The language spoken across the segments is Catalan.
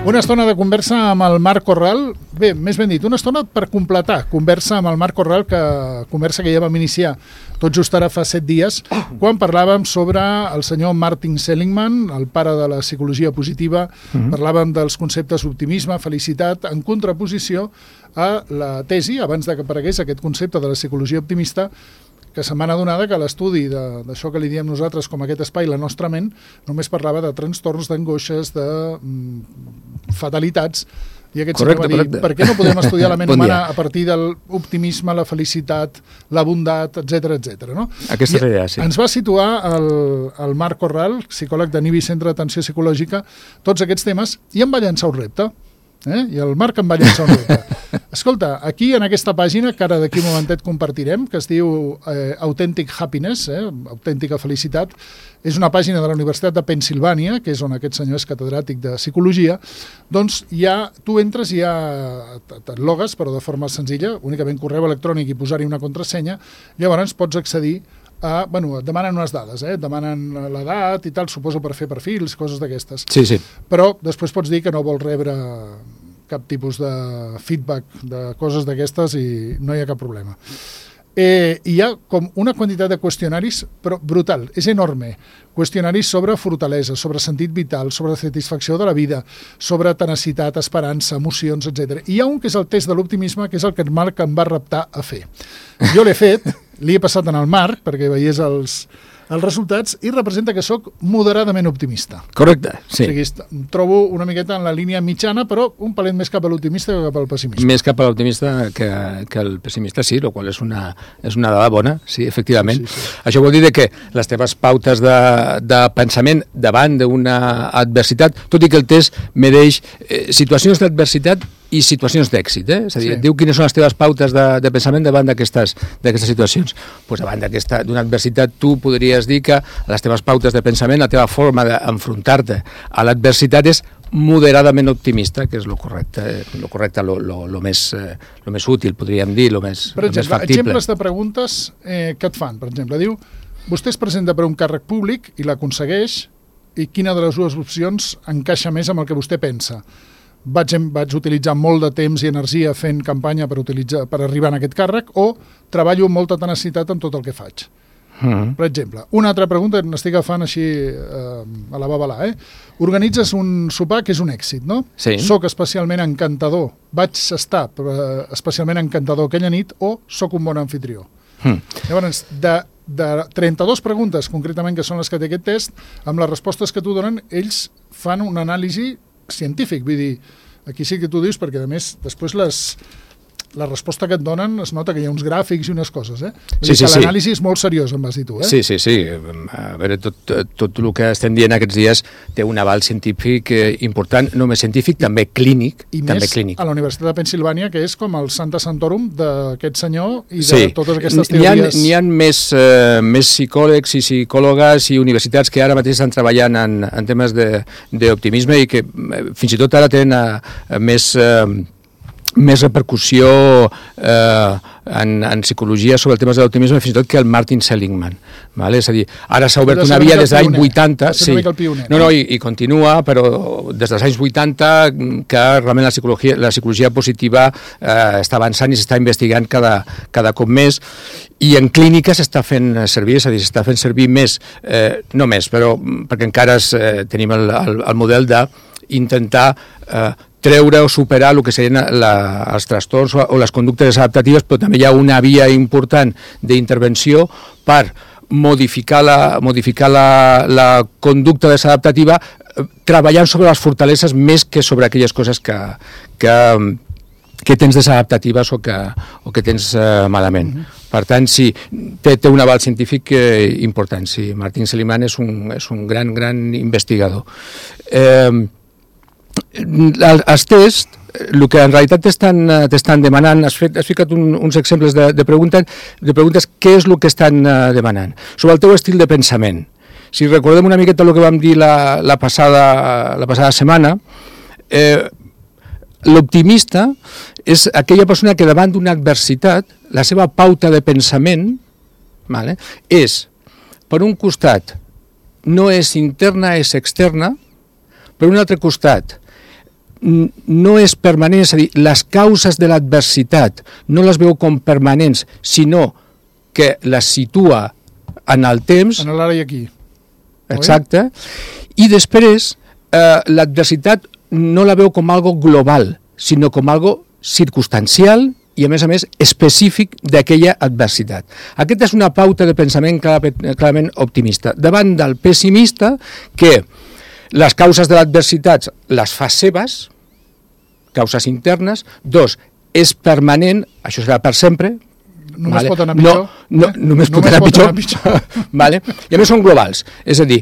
Una estona de conversa amb el Marc Corral. Bé, més ben dit, una estona per completar conversa amb el Marc Corral, conversa que ja vam iniciar tot just ara fa 7 dies, quan parlàvem sobre el senyor Martin Seligman, el pare de la psicologia positiva. Parlàvem dels conceptes optimisme, felicitat, en contraposició a la tesi, abans de que aparegués aquest concepte de la psicologia optimista, que se m'ha adonat que l'estudi d'això que li diem nosaltres com aquest espai, la nostra ment, només parlava de trastorns, d'angoixes, de fatalitats, i aquest senyor va dir, per què no podem estudiar la ment humana a partir de l'optimisme, la felicitat, la bondat, etc. No? Aquesta és la idea, sí. Ens va situar el Marc Corral, psicòleg de NIBI, Centre d'Atenció Psicològica, tots aquests temes, i em va llançar un repte. I el Marc em va llançar un repte. Escolta, aquí en aquesta pàgina, que ara d'aquí un momentet compartirem, que es diu Authentic Happiness, autèntica felicitat, és una pàgina de la Universitat de Pennsilvània, que és on aquest senyor és catedràtic de psicologia. Doncs tu entres i et logues, però de forma senzilla, únicament correu electrònic i posar-hi una contrasenya, llavors pots accedir et demanen unes dades, et demanen l'edat i tal, suposo per fer perfils, coses d'aquestes. Sí. Però després pots dir que no vols rebre cap tipus de feedback de coses d'aquestes i no hi ha cap problema. Hi ha com una quantitat de qüestionaris, però brutal, és enorme. Qüestionaris sobre fortalesa, sobre sentit vital, sobre satisfacció de la vida, sobre tenacitat, esperança, emocions, etc. I hi ha un que és el test de l'optimisme, que és el que el Marc em va reptar a fer. Jo l'he fet, li he passat en el Marc perquè veiés els resultats i representa que sóc moderadament optimista. Correcte, sí. O sigui, em trobo una miqueta en la línia mitjana, però un palet més cap a l'optimista que cap al pessimisme. Més cap a l'optimista que el pessimista, sí, el qual és una dada bona, sí, efectivament. Sí. Això vol dir que les teves pautes de pensament davant d'una adversitat, tot i que el test medeix situacions d'adversitat i situacions d'èxit, és a dir, et diu quines són les teves pautes de pensament davant d'aquestes situacions. Doncs davant d'una adversitat tu podries dir que les teves pautes de pensament, la teva forma d'enfrontar-te a l'adversitat és moderadament optimista, que és el correcte, el més útil, podríem dir, el més factible. Per exemple, exemples de preguntes que et fan, per exemple, diu, vostè es presenta per un càrrec públic i l'aconsegueix, i quina de les dues opcions encaixa més amb el que vostè pensa? Vaig utilitzar molt de temps i energia fent campanya per arribar a aquest càrrec, o treballo amb molta tenacitat en tot el que faig. Per exemple, una altra pregunta, n'estic agafant així a la babalà, Organitzes un sopar que és un èxit, no? Sí. Soc especialment encantador, vaig estar especialment encantador aquella nit, o soc un bon anfitrió? Llavors, de 32 preguntes, concretament, que són les que té aquest test, amb les respostes que t'ho donen, ells fan una anàlisi científic, vull dir, aquí sí que tu dius, perquè a més després la resposta que et donen es nota que hi ha uns gràfics i unes coses, Sí. L'anàlisi és molt seriós, em vas dir tu, Sí. A veure, tot el que estem dient aquests dies té un aval científic important, només científic, també clínic. I més a la Universitat de Pennsilvània, que és com el Santa Santorum d'aquest senyor i de totes aquestes teories. N'hi ha més psicòlegs i psicòlogues i universitats que ara mateix estan treballant en temes d'optimisme i que fins i tot ara tenen més repercussió en psicologia sobre el tema de l'optimisme fins i tot que el Martin Seligman. És a dir, ara s'ha obert una via des dels anys 80, i continua, però des dels anys 80 que realment la psicologia positiva està avançant i s'està investigant cada cop més, i en clínica s'està fent servir, és a dir, s'està fent servir més, no més, però perquè encara tenim el model d'intentar treure o superar el que serien els trastorns o les conductes adaptatives, però també hi ha una via important d'intervenció per modificar la conducta desadaptativa treballant sobre les fortaleses més que sobre aquelles coses que tens desadaptatives o que tens malament. Per tant, sí, té un aval científic important. Sí, Martin Seligman és un gran investigador. Els tests, el que en realitat t'estan demanant, has ficat uns exemples de preguntes, què és el que estan demanant? Sobre el teu estil de pensament. Si recordem una miqueta el que vam dir la passada setmana, l'optimista és aquella persona que davant d'una adversitat, la seva pauta de pensament és, per un costat, no és interna, és externa, per un altre costat, no és permanent, és a dir, les causes de l'adversitat no les veu com permanents, sinó que les situa en el temps. En l'ara i aquí. Exacte. I després, l'adversitat no la veu com algo global, sinó com algo circumstancial i, a més, específic d'aquella adversitat. Aquesta és una pauta de pensament clarament optimista. Davant del pessimista, que les causes de l'adversitat les fa seves, causes internes. 2, és permanent, això serà per sempre. Només pot anar pitjor. Només pot anar pitjor. Vale? I a més són globals. És a dir,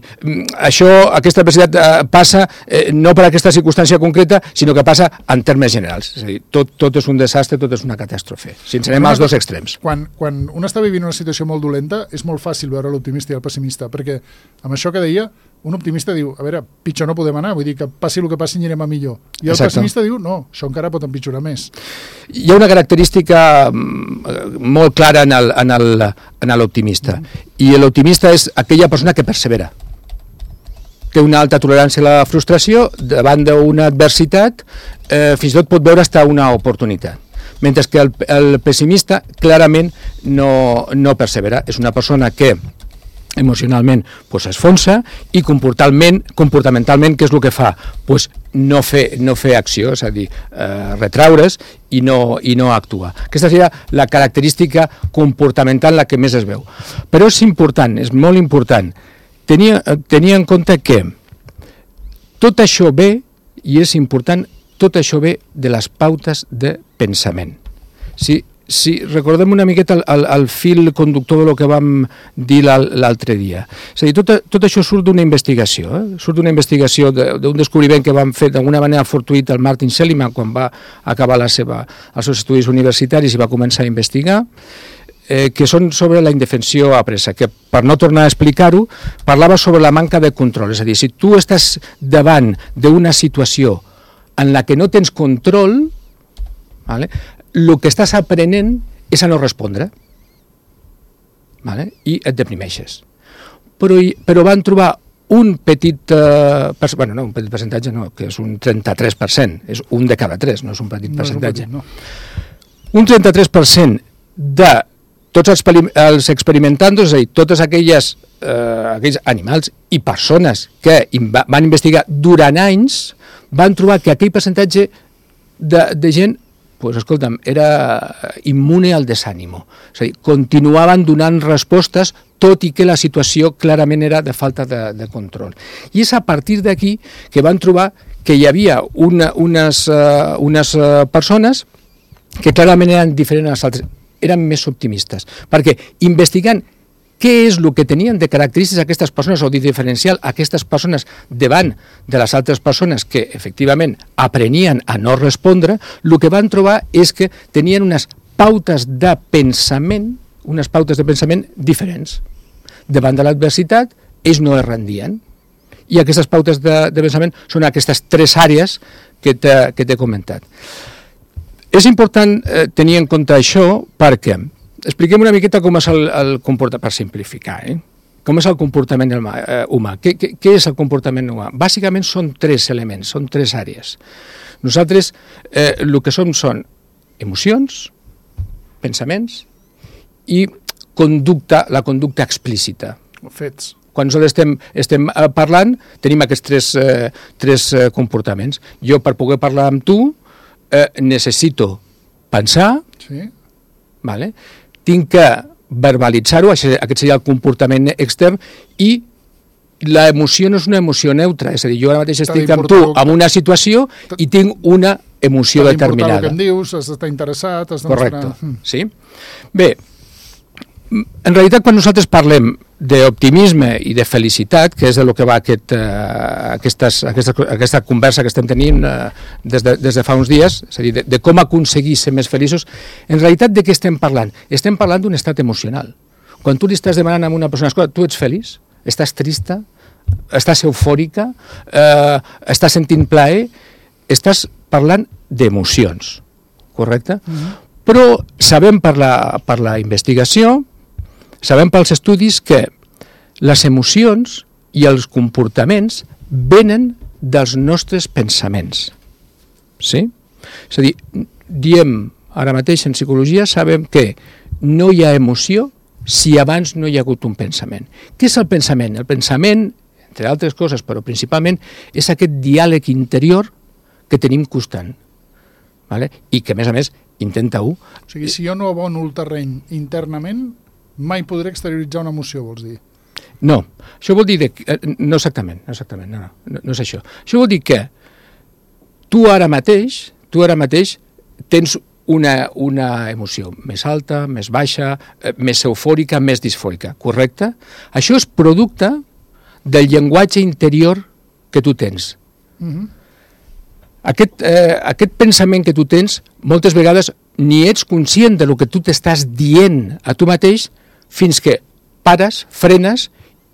aquesta adversitat passa no per aquesta circumstància concreta, sinó que passa en termes generals. És a dir, tot és un desastre, tot és una catàstrofe. Si ens anem als dos extrems. Quan un està vivint una situació molt dolenta, és molt fàcil veure l'optimista i el pessimista, perquè amb això que deia, un optimista diu, a veure, pitjor no podem anar, vull dir que passi el que passi anirem a millor. I el pessimista diu, no, això encara pot empitjorar més. Hi ha una característica molt clara en l'optimista, i l'optimista és aquella persona que persevera. Té una alta tolerància a la frustració, davant d'una adversitat, fins i tot pot veure fins una oportunitat. Mentre que el pessimista clarament no persevera. És una persona que emocionalment s'esfonsa i comportamentalment què és el que fa? No fer acció, és a dir, retraure's i no actuar. Aquesta seria la característica comportamental la que més es veu. Però és important, és molt important tenir en compte que tot això ve, i és important, tot això ve de les pautes de pensament. Si recordem una miqueta el fil conductor del que vam dir l'altre dia. És a dir, tot això surt d'una investigació, surt d'una investigació d'un descobriment que vam fer d'alguna manera fortuït el Martin Seligman quan va acabar els seus estudis universitaris i va començar a investigar, que són sobre la indefensió apresa, que per no tornar a explicar-ho, parlava sobre la manca de control. És a dir, si tu estàs davant d'una situació en la que no tens control, vale? El que estàs aprenent és a no respondre, vale? I et deprimeixes. Però van trobar un petit percentatge, no, que és un 33%, és un de cada 3, no és un petit percentatge. Un 33% de tots els experimentandos, és a dir, tots aquells animals i persones que van investigar durant anys, van trobar que aquell percentatge de gent era immune al desànimo. És a dir, continuaven donant respostes tot i que la situació clarament era de falta de control. I és a partir d'aquí que van trobar que hi havia unes persones que clarament eren diferents a les altres, eren més optimistes, perquè investigant què és el que tenien de característiques aquestes persones o de diferencial aquestes persones davant de les altres persones que efectivament aprenien a no respondre, el que van trobar és que tenien unes pautes de pensament diferents. Davant de l'adversitat, ells no es rendien. I aquestes pautes de pensament són aquestes 3 àrees que t'he comentat. És important tenir en compte això perquè expliquem una miqueta com és el comportament, per simplificar, com és el comportament humà. Què és el comportament humà? Bàsicament són 3 elements, són 3 àrees. Nosaltres el que són emocions, pensaments i la conducta explícita. Fets. Quan nosaltres estem parlant, tenim aquests 3 comportaments. Jo, per poder parlar amb tu, necessito pensar, sí. Vale? Tinc que verbalitzar-ho, aquest seria el comportament extern, i l'emoció no és una emoció neutra, és a dir, jo ara mateix estic amb tu en una situació i tinc una emoció determinada. T'ha d'importar el que em dius, has d'estar interessat, has de mostrar... Correcte, sí. Bé, en realitat, quan nosaltres parlem d'optimisme i de felicitat, que és de lo que va aquesta conversa que estem tenint des de fa uns dies, és a dir, de com aconseguir ser més feliços, en realitat de què estem parlant? Estem parlant d'un estat emocional. Quan tu li estàs demanant a una persona, escolta, tu ets feliç? Estàs trista? Estàs eufòrica? Estàs sentint plaer? Estàs parlant d'emocions, correcte? Però sabem per la investigació, sabem pels estudis que les emocions i els comportaments venen dels nostres pensaments. Sí? És a dir, diem ara mateix en psicologia, sabem que no hi ha emoció si abans no hi ha hagut un pensament. Què és el pensament? El pensament, entre altres coses, però principalment, és aquest diàleg interior que tenim constant. Vale? I que, a més, intenta-ho. O sigui, si jo no abono el terreny internament, mai podré exterioritzar una emoció, vols dir? No, això vol dir... No exactament, no és això. Això vol dir que tu ara mateix tens una emoció més alta, més baixa, més eufòrica, més disfòrica, correcte? Això és producte del llenguatge interior que tu tens. Aquest pensament que tu tens, moltes vegades ni ets conscient del que tu t'estàs dient a tu mateix fins que pares, frenes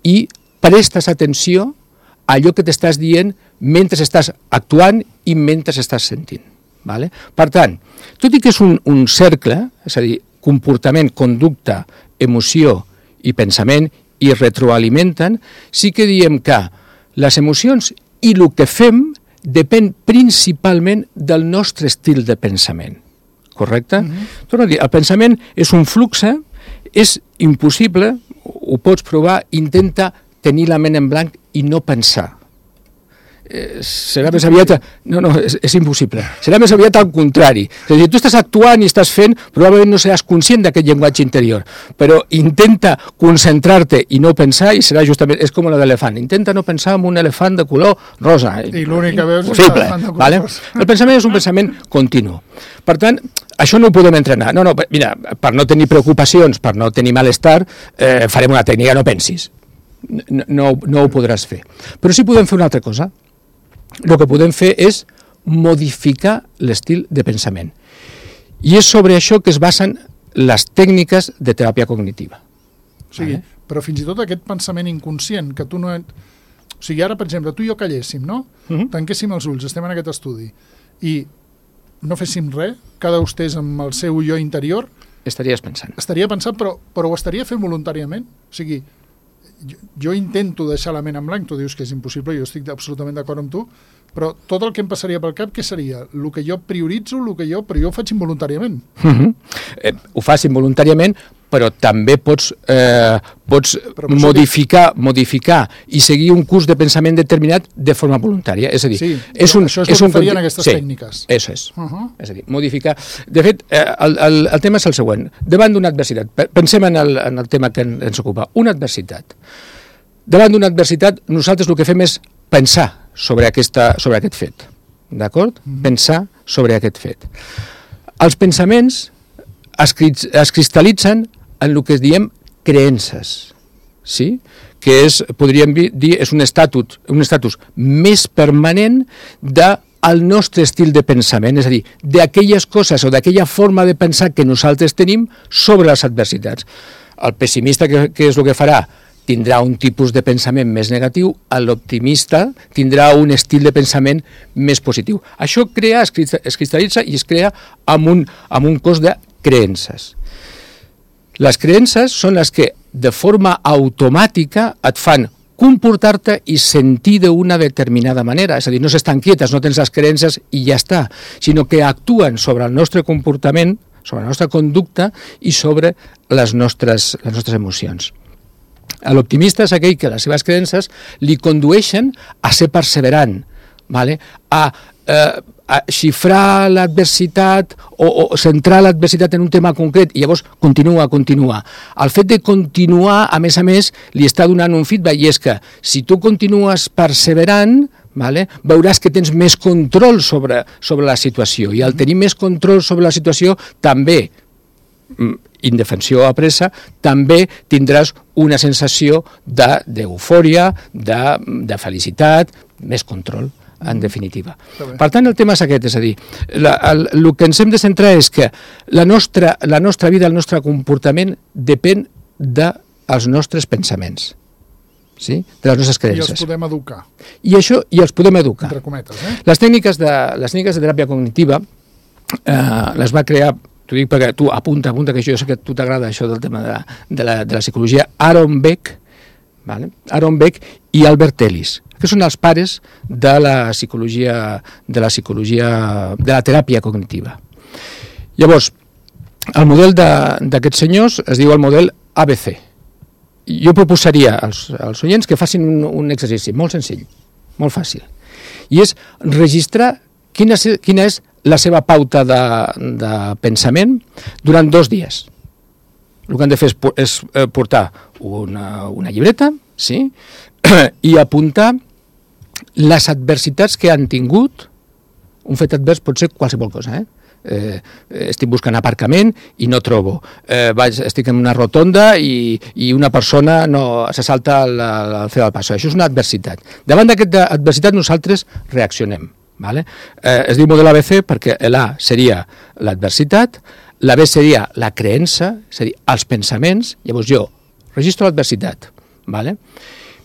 i prestes atenció a allò que t'estàs dient mentre estàs actuant i mentre estàs sentint. Vale? Per tant, tot i que és un cercle, és a dir, comportament, conducta, emoció i pensament, i retroalimenten, sí que diem que les emocions i el que fem depèn principalment del nostre estil de pensament. Correcte? Torno a dir, el pensament és un flux, és impossible, ho pots provar, intenta tenir la ment en blanc i no pensar. Serà més aviat... No, és impossible. Serà més aviat al contrari. És a dir, tu estàs actuant i estàs fent, probablement no seràs conscient d'aquest llenguatge interior, però intenta concentrar-te i no pensar i serà justament... És com la d'elefant. Intenta no pensar en un elefant de color rosa. I l'únic que veus és l'elefant de color rosa. El pensament és un pensament continu. Per tant, això no ho podem entrenar. No, mira, per no tenir preocupacions, per no tenir malestar, farem una tècnica, no pensis. No ho podràs fer. Però sí podem fer una altra cosa. El que podem fer és modificar l'estil de pensament. I és sobre això que es basen les tècniques de teràpia cognitiva. O sigui, però fins i tot aquest pensament inconscient, que tu no... O sigui, ara, per exemple, tu i jo calléssim, no? Tanquéssim els ulls, estem en aquest estudi, i no féssim res, cada un estés amb el seu jo interior... Estaries pensant. Estaria pensant, però ho estaria fent voluntàriament. O sigui, jo intento deixar la ment en blanc, tu dius que és impossible, jo estic absolutament d'acord amb tu, però tot el que em passaria pel cap, què seria? El que jo prioritzo, però jo ho faig involuntàriament. Ho fas involuntàriament, però també pots modificar i seguir un curs de pensament determinat de forma voluntària. És a dir, això és el que farien aquestes tècniques. Això és. És a dir, modificar... De fet, el tema és el següent. Davant d'una adversitat, pensem en el tema que ens ocupa, una adversitat. Davant d'una adversitat, nosaltres el que fem és pensar sobre aquest fet. D'acord? Pensar sobre aquest fet. Els pensaments es cristal·litzen en el que diem creences, sí? Que podríem dir, és un estatus més permanent del nostre estil de pensament, és a dir, d'aquelles coses o d'aquella forma de pensar que nosaltres tenim sobre les adversitats. El pessimista, què és el que farà? Tindrà un tipus de pensament més negatiu, l'optimista tindrà un estil de pensament més positiu. Això es cristal·litza i es crea amb un cos de creences. Les creences són les que de forma automàtica et fan comportar-te i sentir d'una determinada manera. És a dir, no s'estan quietes, no tens les creences i ja està, sinó que actuen sobre el nostre comportament, sobre la nostra conducta i sobre les nostres emocions. L'optimista és aquell que les seves creences li condueixen a ser perseverant, a xifrar l'adversitat o centrar l'adversitat en un tema concret i llavors continua. El fet de continuar, a més, li està donant un feedback i és que si tu continues perseverant, veuràs que tens més control sobre la situació i al tenir més control sobre la situació també, indefensió apressa, també tindràs una sensació d'eufòria, de felicitat, més control, en definitiva. Per tant, el tema és aquest, és a dir, el que ens hem de centrar és que la nostra vida, el nostre comportament depèn dels nostres pensaments, sí? De les nostres creences. I els podem educar. I els podem educar. Entre cometes, Les tècniques de teràpia cognitiva les va crear, t'ho dic perquè tu apunta, que jo sé que a tu t'agrada això del tema de la psicologia, Aaron Beck, vale? Aaron Beck i Albert Ellis, que són els pares de la psicologia, de la teràpia cognitiva. Llavors, el model d'aquests senyors es diu el model ABC. Jo proposaria als oients que facin un exercici molt senzill, molt fàcil, i és registrar quina és la seva pauta de pensament durant 2 dies. El que han de fer és portar una llibreta, sí? I apuntar les adversitats que han tingut. Un fet advers pot ser qualsevol cosa, estic buscant aparcament i no trobo, estic en una rotonda i una persona se salta al fer del passo. Això és una adversitat. Davant d'aquesta adversitat nosaltres reaccionem. Vale? Es diu model ABC perquè l'A seria l'adversitat, la B seria la creença, és a dir, els pensaments. Llavors jo registro l'adversitat, vale?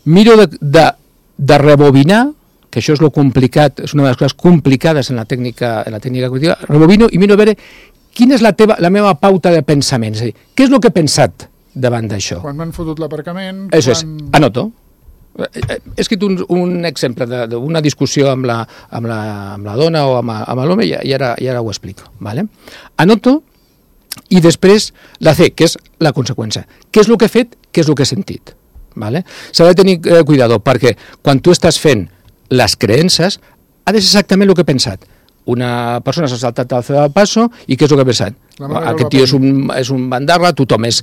Miro de rebobinar, que això és lo complicat, és una de les coses complicades en la tècnica cognitiva, rebobino i miro a veure quina és la meva pauta de pensament, és a dir, què és el que he pensat davant d'això. Quan m'han fotut l'aparcament... Això és, anoto. He escrit un exemple d'una discussió amb la dona o amb l'home i ara ho explico. Vale? Anoto i després la C, que és la conseqüència. Què és el que he fet, què és el que he sentit. Vale? S'ha de tenir cuidado perquè quan tu estàs fent les creences ha de ser exactament el que he pensat. Una persona s'ha saltat al del passo i què és el que ha pensat? Aquest tio és un bandarra, tothom és...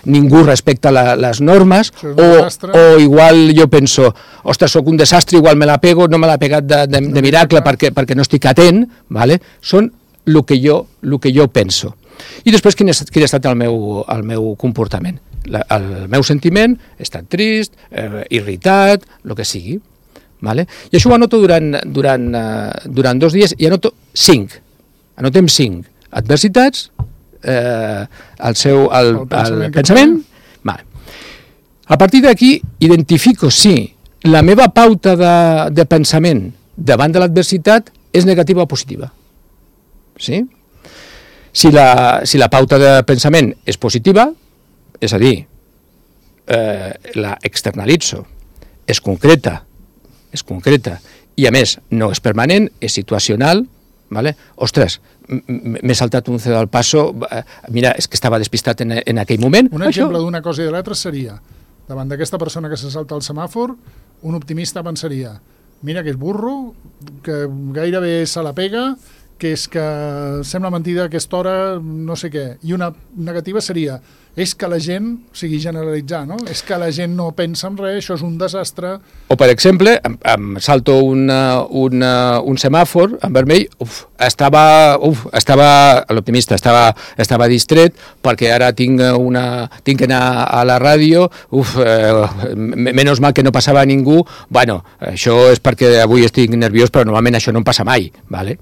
ningú respecta les normes o igual jo penso, ostres, sóc un desastre, igual me la pego, no me l'ha pegat de miracle perquè no estic atent, vale? Són el que jo penso. I després quin ha estat el meu comportament. El meu sentiment, he estat trist, irritat, el que sigui. Vale? I això ho anoto durant 2 dies i anoto 5. Anotem 5 adversitats, el pensament. Vale. A partir d'aquí identifico si la meva pauta de pensament davant de l'adversitat és negativa o positiva. Sí? Si la pauta de pensament és positiva, és a dir, la externalitzo, és concreta i a més no és permanent, és situacional, vale? Ostres, m'he saltat un cedó al passo, mira, és que estava despistat en aquell moment. Un exemple d'una cosa i de l'altra seria, davant d'aquesta persona que se salta al semàfor, un optimista pensaria, mira que és burro, que gairebé se la pega, que és que sembla mentida a aquesta hora, no sé què. I una negativa seria, és que la gent, o sigui, generalitzar, no? És que la gent no pensa en res, això és un desastre. O, per exemple, em salto un semàfor en vermell, l'optimista estava distret perquè ara tinc que anar a la ràdio, menys mal que no passava ningú, bueno, això és perquè avui estic nerviós, però normalment això no em passa mai, vale?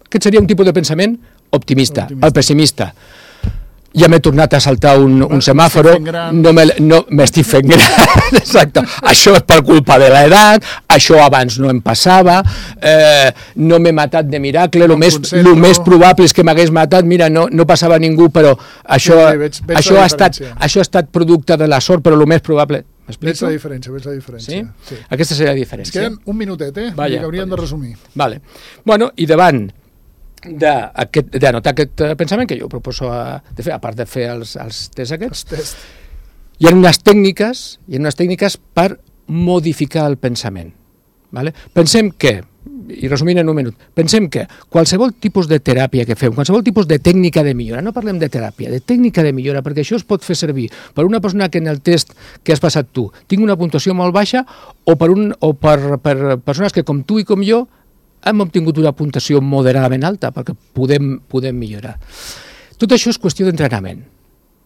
Aquest seria un tipus de pensament optimista. El pessimista. Ja m'he tornat a saltar un semàforo, no m'estic fent gran, exacte. Això és per culpa de l'edat, això abans no em passava, no m'he matat de miracle, el més probable és que m'hagués matat, mira, no passava ningú, però això ha estat producte de la sort, però el més probable... Veig la diferència. Sí? Aquesta seria la diferència. Ens queden un minutet, que hauríem de resumir. Vale. Bueno, i davant d'anotar aquest pensament que jo proposo de fer, a part de fer els tests aquests, hi ha unes tècniques per modificar el pensament. Vale? Pensem que, i resumint en un minut, pensem que qualsevol tipus de teràpia que fem, qualsevol tipus de tècnica de millora, no parlem de teràpia, de tècnica de millora, perquè això es pot fer servir per una persona que en el test que has passat tu tingui una puntuació molt baixa o per persones que com tu i com jo hem obtingut una puntuació moderadament alta perquè podem millorar. Tot això és qüestió d'entrenament.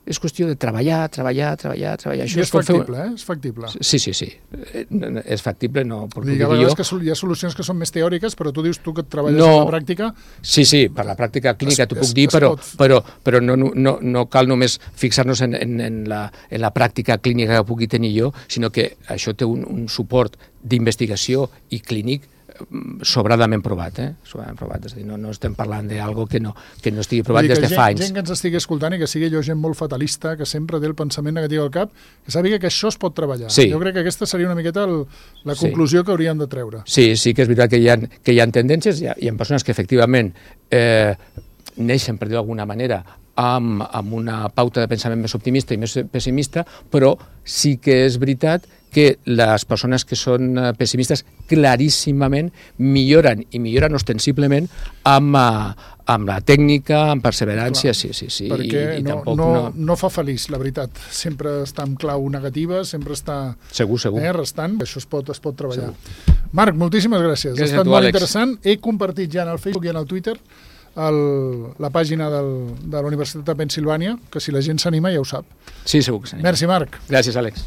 És qüestió de treballar. Això és factible, És factible. Sí. És factible, no... Dic, a vegades que hi ha solucions que són més teòriques, però tu dius tu que et treballes en la pràctica... Sí, per la pràctica clínica t'ho puc dir, però no cal només fixar-nos en la pràctica clínica que pugui tenir jo, sinó que això té un suport d'investigació i clínic sobradament provat, sobradament provat. És a dir, no estem parlant d'algo que no estigui provat des de fa anys. Gent que ens estigui escoltant i que sigui allò gent molt fatalista, que sempre té el pensament negatiu al cap, que sàpiga que això es pot treballar. Sí. Jo crec que aquesta seria una miqueta la conclusió que hauríem de treure. Sí, que és veritat que hi ha tendències, hi ha persones que efectivament neixen, per dir-ho d'alguna manera, amb una pauta de pensament més optimista i més pessimista, però sí que és veritat que les persones que són pessimistes claríssimament milloren, i milloren ostensiblement amb la tècnica, amb perseverància, sí. Perquè no fa feliç, la veritat. Sempre està en clau negativa, sempre està segur. Restant. Això es pot treballar. Segur. Marc, moltíssimes gràcies. Ha estat molt interessant. He compartit ja en el Facebook i en el Twitter la pàgina de la Universitat de Pennsilvània, que si la gent s'anima ja ho sap. Sí, segur que s'anima. Merci, Marc. Gràcies, Àlex.